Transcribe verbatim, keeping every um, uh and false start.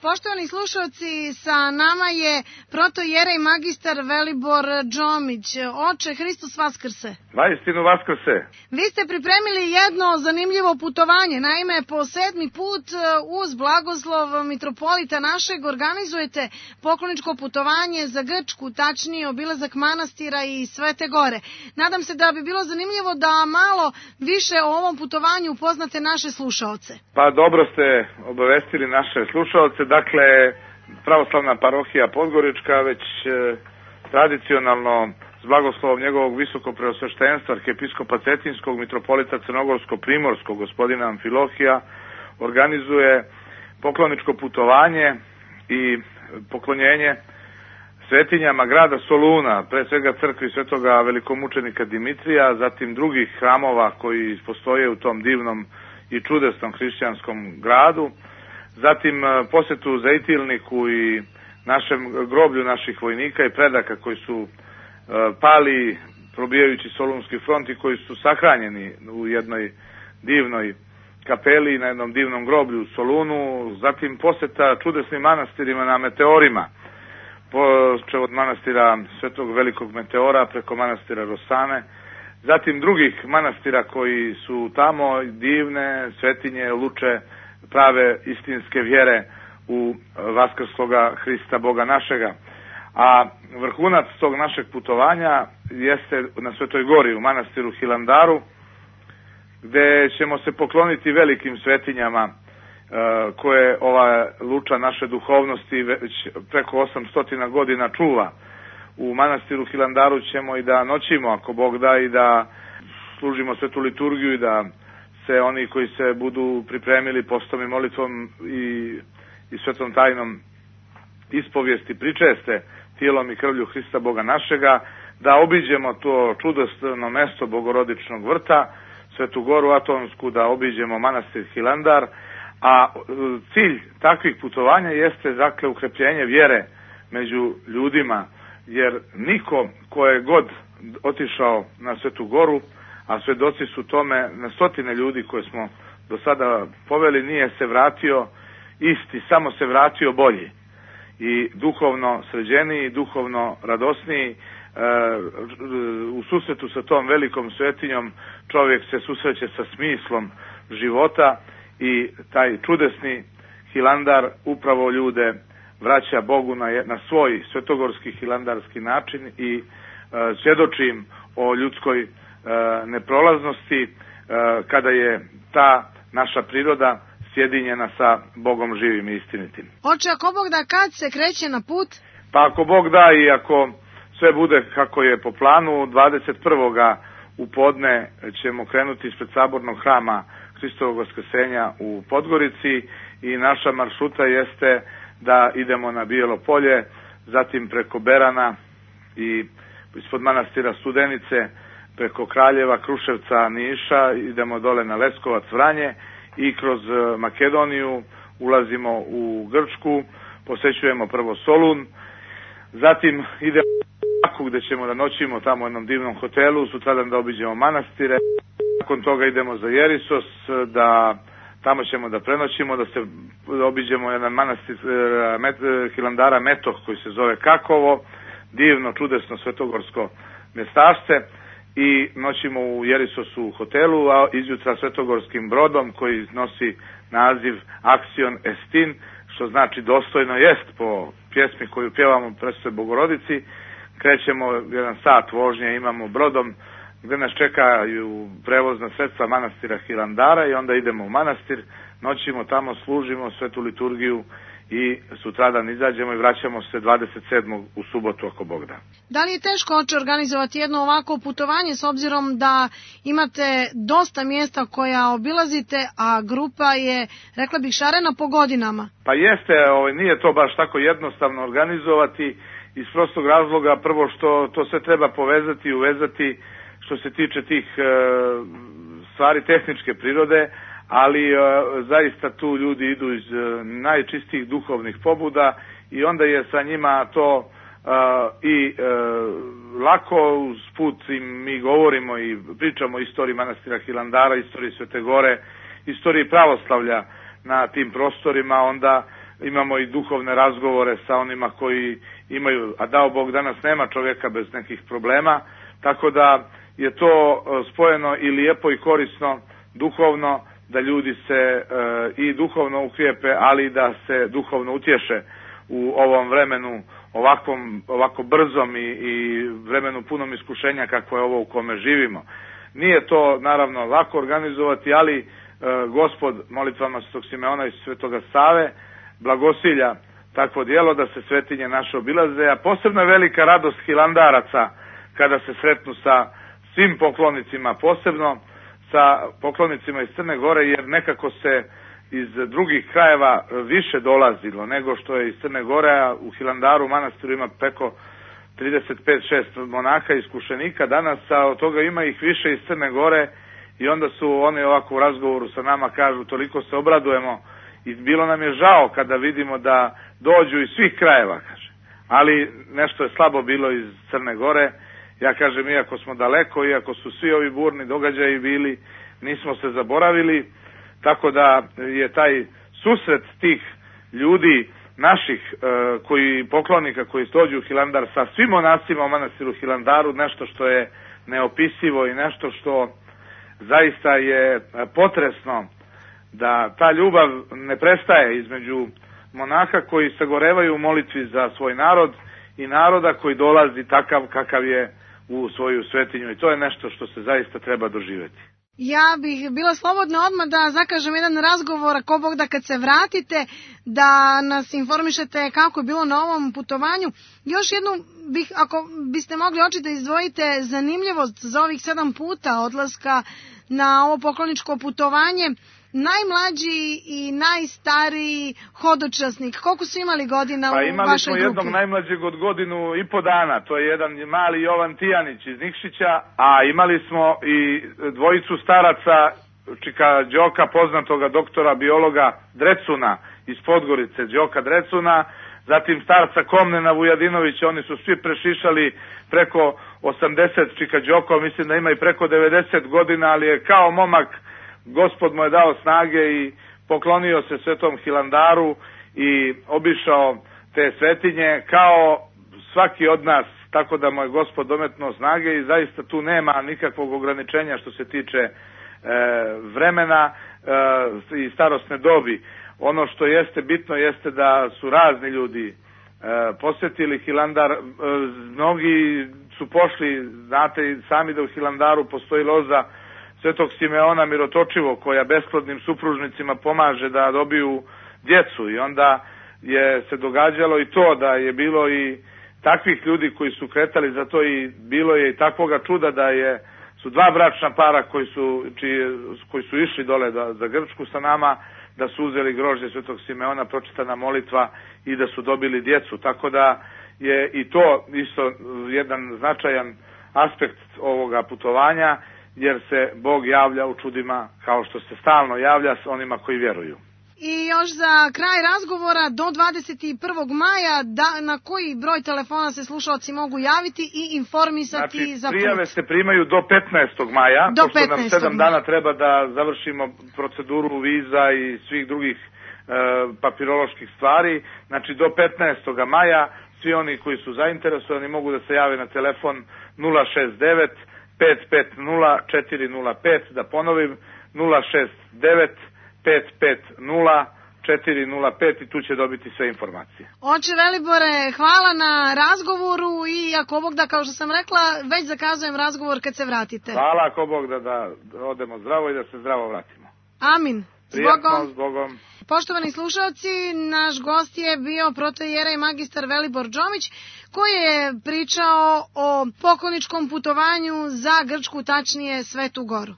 Poštovani slušalci, sa nama je protojerej magistar Velibor Džomić. Oče, Hristos vaskrse. Vaistinu vaskrse. Vi ste pripremili jedno zanimljivo putovanje. Naime, po sedmi put uz blagoslov mitropolita našeg organizujete pokloničko putovanje za Grčku, tačnije obilazak manastira i Svete Gore. Nadam se da bi bilo zanimljivo da malo više o ovom putovanju upoznate naše slušaoce. Pa dobro ste obavestili naše slušaoce. Dakle, pravoslavna parohija Podgorička već e, tradicionalno s blagoslovom njegovog visokopreosveštenstva arhijepiskopa Cetinskog mitropolita Crnogorsko-primorskog gospodina Amfilohija organizuje pokloničko putovanje i poklonjenje svetinjama grada Soluna, pre svega crkvi svetoga velikomučenika Dimitrija, zatim drugih hramova koji postoje u tom divnom i čudesnom hrišćanskom gradu, zatim posjetu Zejtilniku i našem groblju naših vojnika i predaka koji su pali probijajući Solunski front i koji su sahranjeni u jednoj divnoj kapeli na jednom divnom groblju u Solunu, zatim posjeta čudesnim manastirima na meteorima, počev od manastira Svetog Velikog Meteora preko manastira Rosane, zatim drugih manastira koji su tamo divne svetinje, luče prave istinske vjere u vaskrsloga Hrista Boga našega. A vrhunac tog našeg putovanja jeste na Svetoj Gori u manastiru Hilandaru, gde ćemo se pokloniti velikim svetinjama koje ova luča naše duhovnosti već preko osamsto godina čuva. U manastiru Hilandaru ćemo i da noćimo, ako Bog da, i da služimo svetu liturgiju i da se oni koji se budu pripremili postom i molitvom i, i svetom tajnom ispovijesti pričeste tijelom i krvlju Hrista Boga našega, da obiđemo to čudesno mesto Bogorodičnog vrta, Svetu Goru Atonsku, da obiđemo manastir Hilandar, a cilj takvih putovanja jeste dakle ukrepljenje vjere među ljudima, jer niko ko je god otišao na Svetu Goru, a svedoci su tome na stotine ljudi koje smo do sada poveli, nije se vratio isti, samo se vratio bolji i duhovno sređeniji, duhovno radosniji. E, u susretu sa tom velikom svetinjom čovjek se susreće sa smislom života i taj čudesni Hilandar upravo ljude vraća Bogu na, na svoj svetogorski hilandarski način i e, svjedoči im o ljudskoj neprolaznosti kada je ta naša priroda sjedinjena sa Bogom živim i istinitim. Oče, ako Bog da, kad se kreće na put? Pa ako Bog da i ako sve bude kako je po planu, dvadeset prvoga u podne ćemo krenuti ispred sabornog hrama Hristovog vaskrsenja u Podgorici i naša maršruta jeste da idemo na Bijelo polje, zatim preko Berana i ispod manastira Studenice, preko Kraljeva, Kruševca, Niša, idemo dole na Leskovac, Vranje i kroz Makedoniju ulazimo u Grčku, posećujemo prvo Solun, zatim idemo u Baku gde ćemo da noćimo tamo u jednom divnom hotelu, sutradan da obiđemo manastire, nakon toga idemo za Jerisos, da tamo ćemo da prenoćimo, da se da obiđemo jedan manastir met, Hilandara Metoh koji se zove Kakovo, divno, čudesno svetogorsko mjestašce, i noćimo u Jerisosu u hotelu, a izjutra svetogorskim brodom koji nosi naziv Aksion Estin, što znači dostojno jest po pjesmi koju pjevamo Presvetoj Bogorodici. Krećemo jedan sat vožnje, imamo brodom gdje nas čekaju prevozna sredstva manastira Hilandara i onda idemo u manastir, noćimo tamo, služimo svetu liturgiju i sutradan izađemo i vraćamo se dvadeset sedmog u subotu ako Bog da. Da li je teško, oče, organizovati jedno ovako putovanje s obzirom da imate dosta mjesta koja obilazite, a grupa je, rekla bih, šarena po godinama? Pa jeste, ovaj, nije to baš tako jednostavno organizovati iz prostog razloga, prvo što to sve treba povezati i uvezati što se tiče tih e, stvari tehničke prirode, ali e, zaista tu ljudi idu iz e, najčistijih duhovnih pobuda i onda je sa njima to e, i e, lako, uz put im mi govorimo i pričamo o istoriji manastira Hilandara, istoriji Svete Gore, istoriji pravoslavlja na tim prostorima, onda imamo i duhovne razgovore sa onima koji imaju, a dao Bog danas nema čovjeka bez nekih problema, tako da je to spojeno i lijepo i korisno duhovno, da ljudi se e, i duhovno ukrijepe, ali i da se duhovno utješe u ovom vremenu ovakvom, ovako brzom i, i vremenu punom iskušenja kakvo je ovo u kome živimo. Nije to naravno lako organizovati, ali e, Gospod molitvama Svetog Simeona i Svetoga Save blagosilja takvo djelo da se svetinje naše obilaze, a posebno je velika radost hilandaraca kada se sretnu sa svim poklonicima, posebno sa poklonicima iz Crne Gore, jer nekako se iz drugih krajeva više dolazilo nego što je iz Crne Gore, a u Hilandaru manastiru ima preko trideset pet šest monaka iskušenika danas, a od toga ima ih više iz Crne Gore i onda su oni ovako u razgovoru sa nama kažu toliko se obradujemo i bilo nam je žao kada vidimo da dođu iz svih krajeva, kaže. Ali nešto je slabo bilo iz Crne Gore. Ja kažem, iako smo daleko, iako su svi ovi burni događaji bili, nismo se zaboravili, tako da je taj susret tih ljudi naših e, koji poklonika koji dođu u Hilandar sa svim monasima u manastiru Hilandaru nešto što je neopisivo i nešto što zaista je potresno, da ta ljubav ne prestaje između monaha koji sagorevaju u molitvi za svoj narod i naroda koji dolazi takav kakav je u svoju svetinju, i to je nešto što se zaista treba doživjeti. Ja bih bila slobodna odmah da zakažem jedan razgovor, ako Bog da kad se vratite, da nas informišete kako je bilo na ovom putovanju. Još jednu bih, ako biste mogli oči da izdvojite zanimljivost za ovih sedam puta odlaska na ovo pokloničko putovanje. Najmlađi i najstariji hodočasnik, koliko su imali godina pa, u vašoj grupi? Pa imali smo jednog najmlađeg od godinu i po dana, to je jedan mali Jovan Tijanić iz Nikšića, a imali smo i dvojicu staraca, čika Đoka, poznatoga doktora biologa Drecuna iz Podgorice, Đoka Drecuna, zatim starca Komnena Vujadinovića, oni su svi prešišali preko osamdeset, čika Đoko, mislim da ima i preko devedeset godina, ali je kao momak, Gospod mu je dao snage i poklonio se Svetom Hilandaru i obišao te svetinje kao svaki od nas, tako da mu je Gospod dometnuo snage i zaista tu nema nikakvog ograničenja što se tiče e, vremena e, i starosne dobi. Ono što jeste bitno jeste da su razni ljudi e, posjetili Hilandar, e, mnogi su pošli, znate sami da u Hilandaru postoji loza Svetog Simeona Mirotočivog, koja besplodnim supružnicima pomaže da dobiju djecu, i onda je se događalo i to da je bilo i takvih ljudi koji su kretali za to, i bilo je i takvoga čuda da je su dva bračna para koji su, čiji, koji su išli dole da, za Grčku sa nama, da su uzeli grožđe Svetog Simeona, pročitana molitva i da su dobili djecu, tako da je i to isto jedan značajan aspekt ovoga putovanja, jer se Bog javlja u čudima kao što se stalno javlja s onima koji vjeruju. I još za kraj razgovora, do dvadeset prvog maja, da, na koji broj telefona se slušalci mogu javiti i informisati znači, za put? Prijave se primaju do petnaestog maja, do pošto nam sedam dana treba da završimo proceduru viza i svih drugih e, papiroloških stvari. Znači do petnaestog maja svi oni koji su zainteresovani mogu da se jave na telefon nula šest devet pet pet nula četiri nula pet, da ponovim nula šest devet pet pet nula četiri nula pet, i tu će dobiti sve informacije. Oče Velibore, hvala na razgovoru i ako Bog da, kao što sam rekla, već zakazujem razgovor kad se vratite. Hvala, ako Bog da, da odemo zdravo i da se zdravo vratimo. Amin. Prijatno, s Bogom. Poštovani slušalci, naš gost je bio protoijerej magistar Velibor Džomić, koji je pričao o pokloničkom putovanju za Grčku, tačnije Svetu Goru.